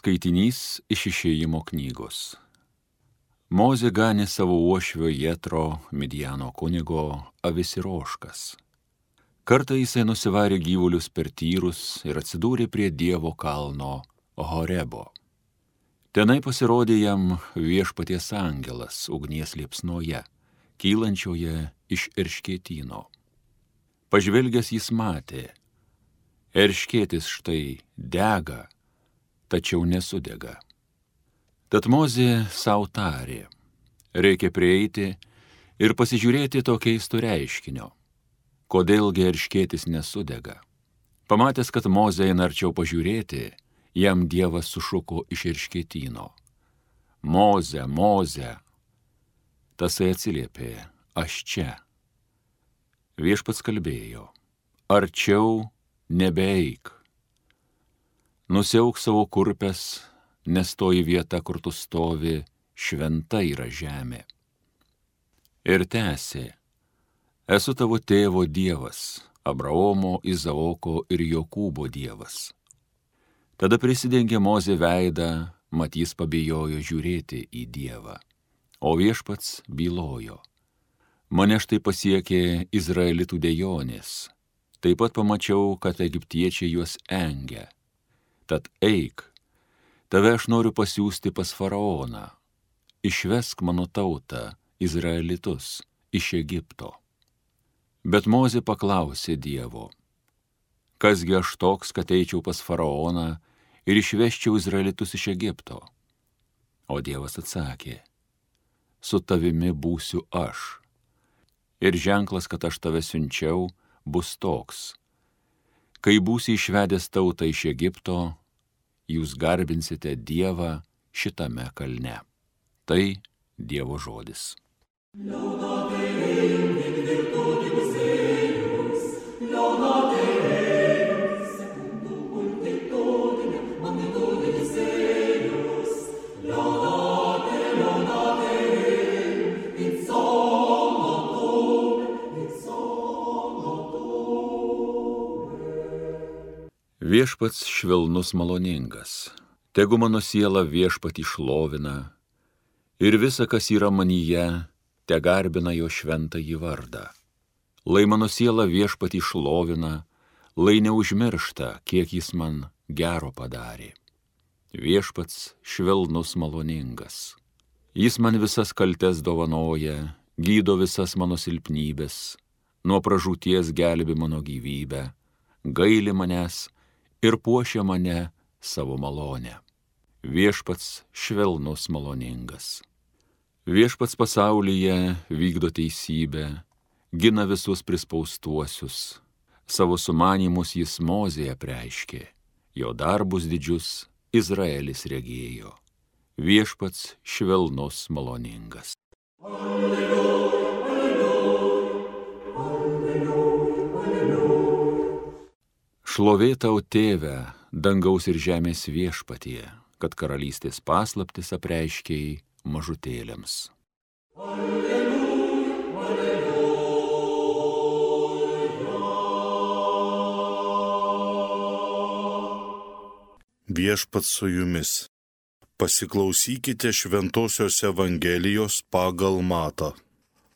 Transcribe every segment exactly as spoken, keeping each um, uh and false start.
Skaitinys iš Išėjimo knygos. Mozė ganė savo uošvio Jetro, Midjano kunigo, avis ir ožkas. Kartą jisai nusivarė gyvulius per tyrus ir atsidūrė prie Dievo kalno Horebo. Tenai pasirodė jam Viešpaties angelas ugnies liepsnoje, kylančioje iš erškėtyno. Pažvelgęs jis matė, erškėtis štai dega, tačiau nesudega. Tad Mozė sau tarė, reikia prieiti ir pasižiūrėti to keisto reiškinio, kodėlgi erškėtis nesudega. Pamatęs, kad Mozė eina arčiau pažiūrėti, jam Dievas sušuko iš erškėtyno. Moze, Moze. Tasai atsiliepė, aš čia. Viešpats kalbėjo, arčiau nebeeik. Nusiauk savo kurpes, nes toji vieta, kur tu stovi, šventa yra žemė. Ir tęsė, esu tavo tėvo Dievas, Abraomo, Izaoko ir Jokūbo Dievas. Tada prisidengė Mozė veidą, mat jis pabijojo žiūrėti į Dievą. O Viešpats bylojo, mane štai pasiekė Izraelitų dejonės. Taip pat pamačiau, kad egiptiečiai juos engia. Tad eik, tave aš noriu pasiųsti pas faraoną. Išvesk mano tautą, Izraelitus, iš Egipto. Bet Mozė paklausė Dievo, kasgi aš toks, kad eičiau pas faraoną ir išveščiau Izraelitus iš Egipto? O Dievas atsakė, su tavimi būsiu aš. Ir ženklas, kad aš tave siunčiau, bus toks. Kai būsi išvedęs tautą iš Egipto, jūs garbinsite Dievą šitame kalne. Tai Dievo žodis. Viešpats švelnus maloningas, tegu mano siela Viešpatį šlovina, ir visa, kas yra manyje, te garbina jo šventąjį vardą. Lai mano siela Viešpatį šlovina, lai neužmiršta, kiek jis man gero padarė. Viešpats švelnus maloningas. Jis man visas kaltes dovanoja, gydo visas mano silpnybės, nuo pražūties gelbi mano gyvybę, gaili manęs ir puošia mane savo malonę. Viešpats švelnus maloningas. Viešpats pasaulyje vykdo teisybę, gina visus prispaustuosius. Savo sumanymus jis Mozėje apreiškė, jo darbus didžius Izraelis regėjo. Viešpats švelnus maloningas. Alleluja. Šlovė tau, Tėve, dangaus ir žemės Viešpatie, kad karalystės paslaptis apreiškei mažutėliams. Alleluja, alleluja. Viešpats su jumis. Pasiklausykite šventosios Evangelijos pagal Matą.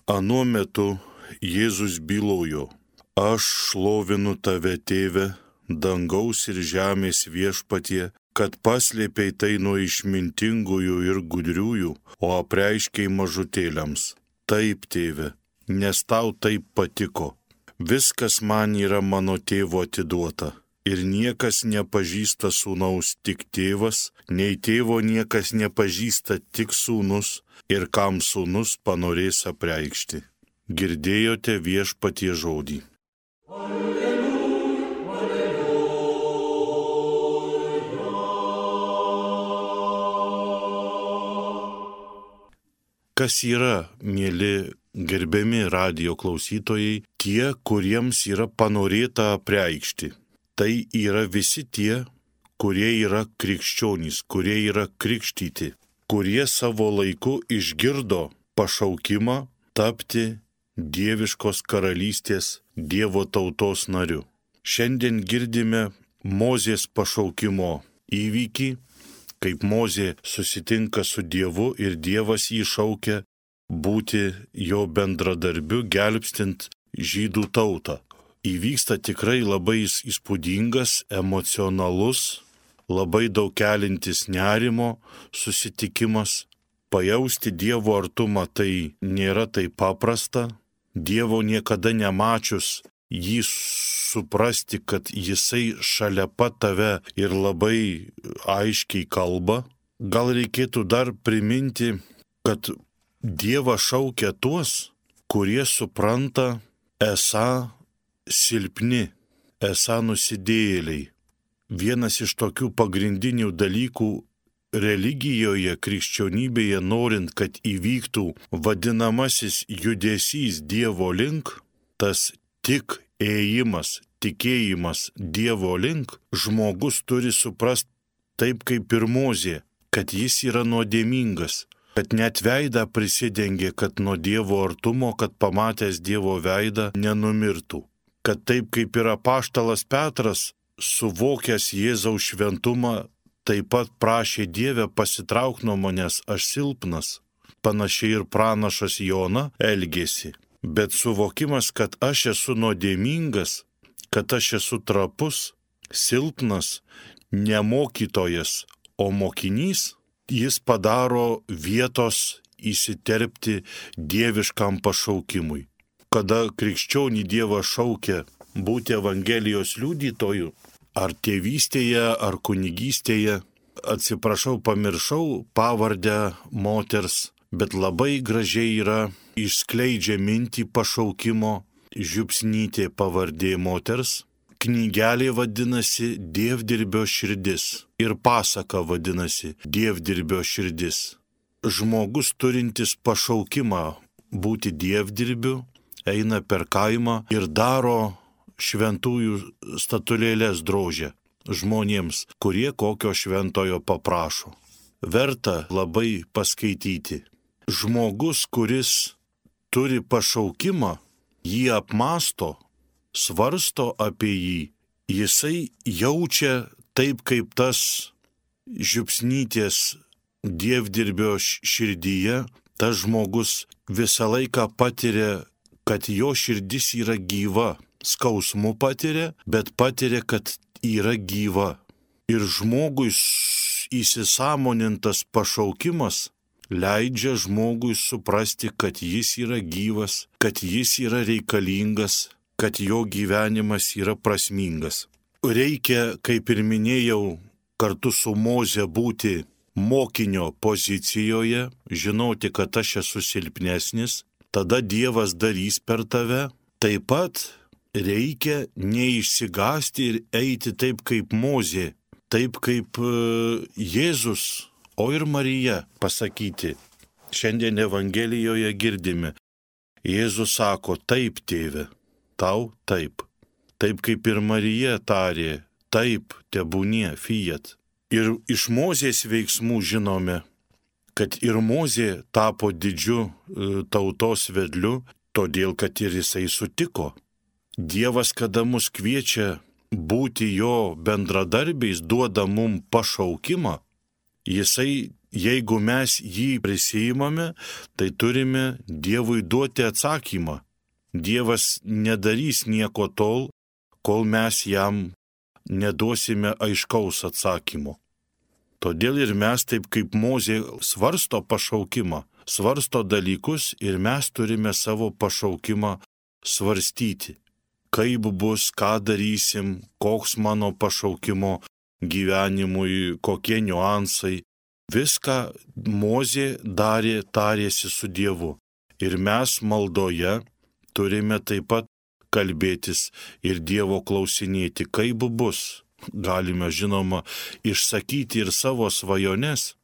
Anuo metu Jėzus bylojo, aš šlovinu tave, Tėve, dangaus ir žemės Viešpatie, kad paslėpei tai nuo išmintingųjų ir gudriųjų, o apreiškei mažutėliams. Taip, Tėve, nes tau taip patiko. Viskas man yra mano Tėvo atiduota. Ir niekas nepažįsta sūnaus tik Tėvas, nei Tėvo niekas nepažįsta tik sūnus, ir kam sūnus panorės apreikšti. Girdėjote Viešpatie žodį. Kas yra, mieli gerbiami radijo klausytojai, tie, kuriems yra panorėta apreikšti. Tai yra visi tie, kurie yra krikščionys, kurie yra krikštyti, kurie savo laiku išgirdo pašaukimą tapti dieviškos karalystės Dievo tautos nariu. Šiandien girdime Mozės pašaukimo įvykį, kaip Mozė susitinka su Dievu ir Dievas jį šaukia būti jo bendradarbiu, gelbstint žydų tautą. Įvyksta tikrai labai įspūdingas, emocionalus, labai daug kelintis nerimo susitikimas. Pajausti Dievo artumą tai nėra taip paprasta. Dievo niekada nemačius, jį suprasti, kad jisai šalia pat tave ir labai aiškiai kalba. Gal reikėtų dar priminti, kad Dievas šaukia tuos, kurie supranta esą silpni, esą nusidėjėliai. Vienas iš tokių pagrindinių dalykų religijoje, krikščionybėje, norint, kad įvyktų vadinamasis judesys Dievo link, tas tik ėjimas, tikėjimas Dievo link, žmogus turi suprasti taip kaip ir Mozė, kad jis yra nuodėmingas, kad net veidą prisidengė, kad nuo Dievo artumo, kad pamatęs Dievo veidą nenumirtų. Kad taip kaip ir apaštalas Petras, suvokęs Jėzaus šventumą, taip pat prašė Dievę pasitrauk nuo manęs, aš silpnas. Panašiai ir pranašas Jona elgėsi. Bet suvokimas, kad aš esu nuodėmingas, kad aš esu trapus, silpnas, ne mokytojas, o mokinys, jis padaro vietos įsiterpti dieviškam pašaukimui. Kada krikščionį Dievas šaukia būti Evangelijos liudytoju, ar tėvystėje, ar kunigystėje, atsiprašau, pamiršau pavardę moters, bet labai gražiai yra išskleidžia mintį pašaukimo Žiupsnytė pavardė moters. Knygelė vadinasi Dievdirbio širdis ir pasaka vadinasi Dievdirbio širdis. Žmogus turintis pašaukimą būti dievdirbiu eina per kaimą ir daro šventųjų statulėlės drožia žmonėms, kurie kokio šventojo paprašo. Verta labai paskaityti. Žmogus, kuris turi pašaukimą, jį apmąsto, svarsto apie jį, jisai jaučia taip kaip tas Žiupsnytės dievdirbio širdyje, tas žmogus visą laiką patiria, kad jo širdis yra gyva. Skausmu patiria, bet patiria, kad yra gyva. Ir žmogui įsisąmonintas pašaukimas leidžia žmogui suprasti, kad jis yra gyvas, kad jis yra reikalingas, kad jo gyvenimas yra prasmingas. Reikia, kaip ir minėjau, kartu su Moze būti mokinio pozicijoje, žinoti, kad aš esu silpnesnis, tada Dievas darys per tave. Taip pat reikia neišsigąsti ir eiti taip kaip Mozė, taip kaip Jėzus, o ir Marija pasakyti. Šiandien Evangelijoje girdime. Jėzus sako, taip, tėve, tau taip. Taip kaip ir Marija tarė, taip, tebūnie, fiat. Ir iš Mozės veiksmų žinome, kad ir Mozė tapo didžiu tautos vedliu, todėl kad ir jisai sutiko. Dievas, kada mus kviečia būti jo bendradarbiais, duoda mum pašaukimą, jisai, jeigu mes jį prisiimame, tai turime Dievui duoti atsakymą. Dievas nedarys nieko tol, kol mes jam neduosime aiškaus atsakymo. Todėl ir mes taip kaip Mozė svarsto pašaukimą, svarsto dalykus ir mes turime savo pašaukimą svarstyti. Kaip bus, ką darysim, koks mano pašaukimo gyvenimui, kokie niuansai. Viską Mozė darė, tarėsi su Dievu. Ir mes maldoje turime taip pat kalbėtis ir Dievo klausinėti, kaip bus. Galime, žinoma, išsakyti ir savo svajones,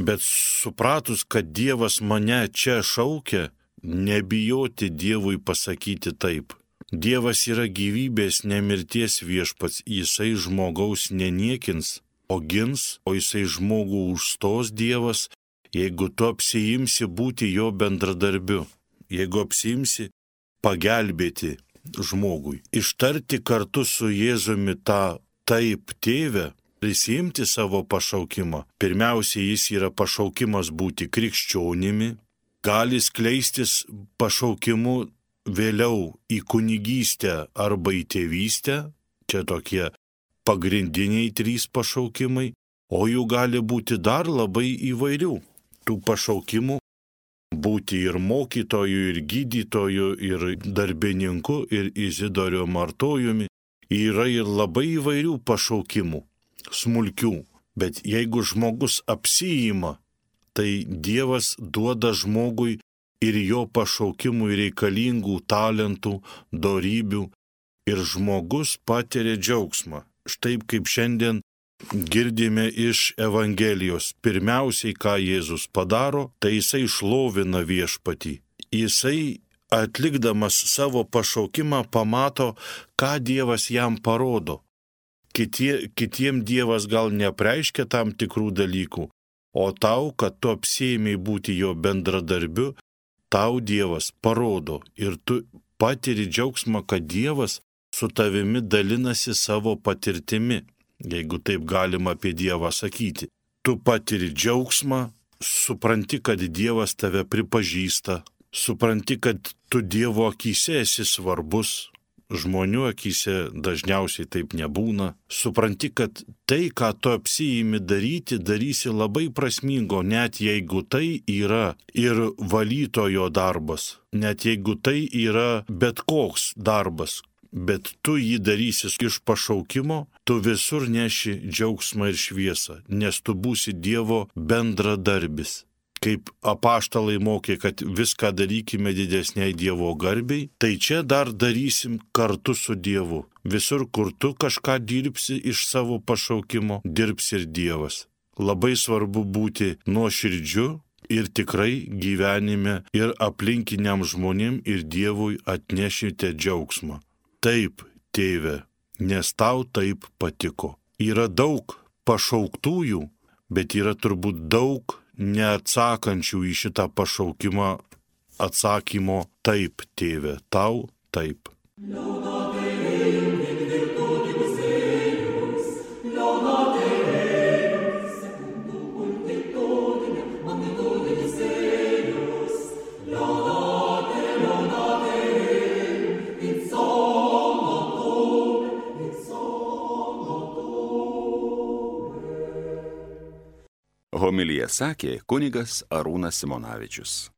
bet supratus, kad Dievas mane čia šaukia, nebijoti Dievui pasakyti taip. Dievas yra gyvybės, ne mirties viešpats, jisai žmogaus neniekins, o gins, o jisai žmogų užstos Dievas, jeigu tu apsiimsi būti jo bendradarbiu, jeigu apsiimsi pagelbėti žmogui. Ištarti kartu su Jėzumi tą taip, tėve, prisimti savo pašaukimą. Pirmiausia, jis yra pašaukimas būti krikščionimi, gali skleistis pašaukimu vėliau į kunigystę arba į tėvystę, čia tokie pagrindiniai trys pašaukimai, o jų gali būti dar labai įvairių. Tų pašaukimų būti ir mokytoju, ir gydytoju, ir darbininku, ir Izidoriu Martojumi yra ir labai įvairių pašaukimų, smulkių. Bet jeigu žmogus apsiima, tai Dievas duoda žmogui ir jo pašaukimui reikalingų talentų, dorybių, ir žmogus patiria džiaugsmą. Štai kaip šiandien girdime iš Evangelijos. Pirmiausiai, ką Jėzus padaro, tai jisai šlovina viešpatį. Jisai, atlikdamas savo pašaukimą, pamato, ką Dievas jam parodo. Kitie, kitiem Dievas gal nepreiškia tam tikrų dalykų, o tau, kad tu apsiėmei būti jo bendradarbiu, tau Dievas parodo ir tu patiri džiaugsmą, kad Dievas su tavimi dalinasi savo patirtimi, jeigu taip galima apie Dievą sakyti. Tu patiri džiaugsmą, supranti, kad Dievas tave pripažįsta, supranti, kad tu Dievo akyse esi svarbus, žmonių akyse dažniausiai taip nebūna, supranti, kad tai, ką tu apsiimi daryti, darysi labai prasmingo, net jeigu tai yra ir valytojo darbas, net jeigu tai yra bet koks darbas, bet tu jį darysi iš pašaukimo, tu visur neši džiaugsmą ir šviesą, nes tu būsi Dievo bendradarbis. Kaip apaštalai mokė, kad viską darykime didesniai Dievo garbei, tai čia dar darysim kartu su Dievu. Visur, kur tu kažką dirbsi iš savo pašaukimo, dirbs ir Dievas. Labai svarbu būti nuoširdžiu ir tikrai gyvenime ir aplinkiniam žmonėm ir Dievui atnešite džiaugsmą. Taip, tėve, nes tau taip patiko. Yra daug pašauktųjų, bet yra turbūt daug neatsakančių į šitą pašaukimą atsakymo taip, tėve, tau taip. Homiliją sakė kunigas Arūnas Simonavičius.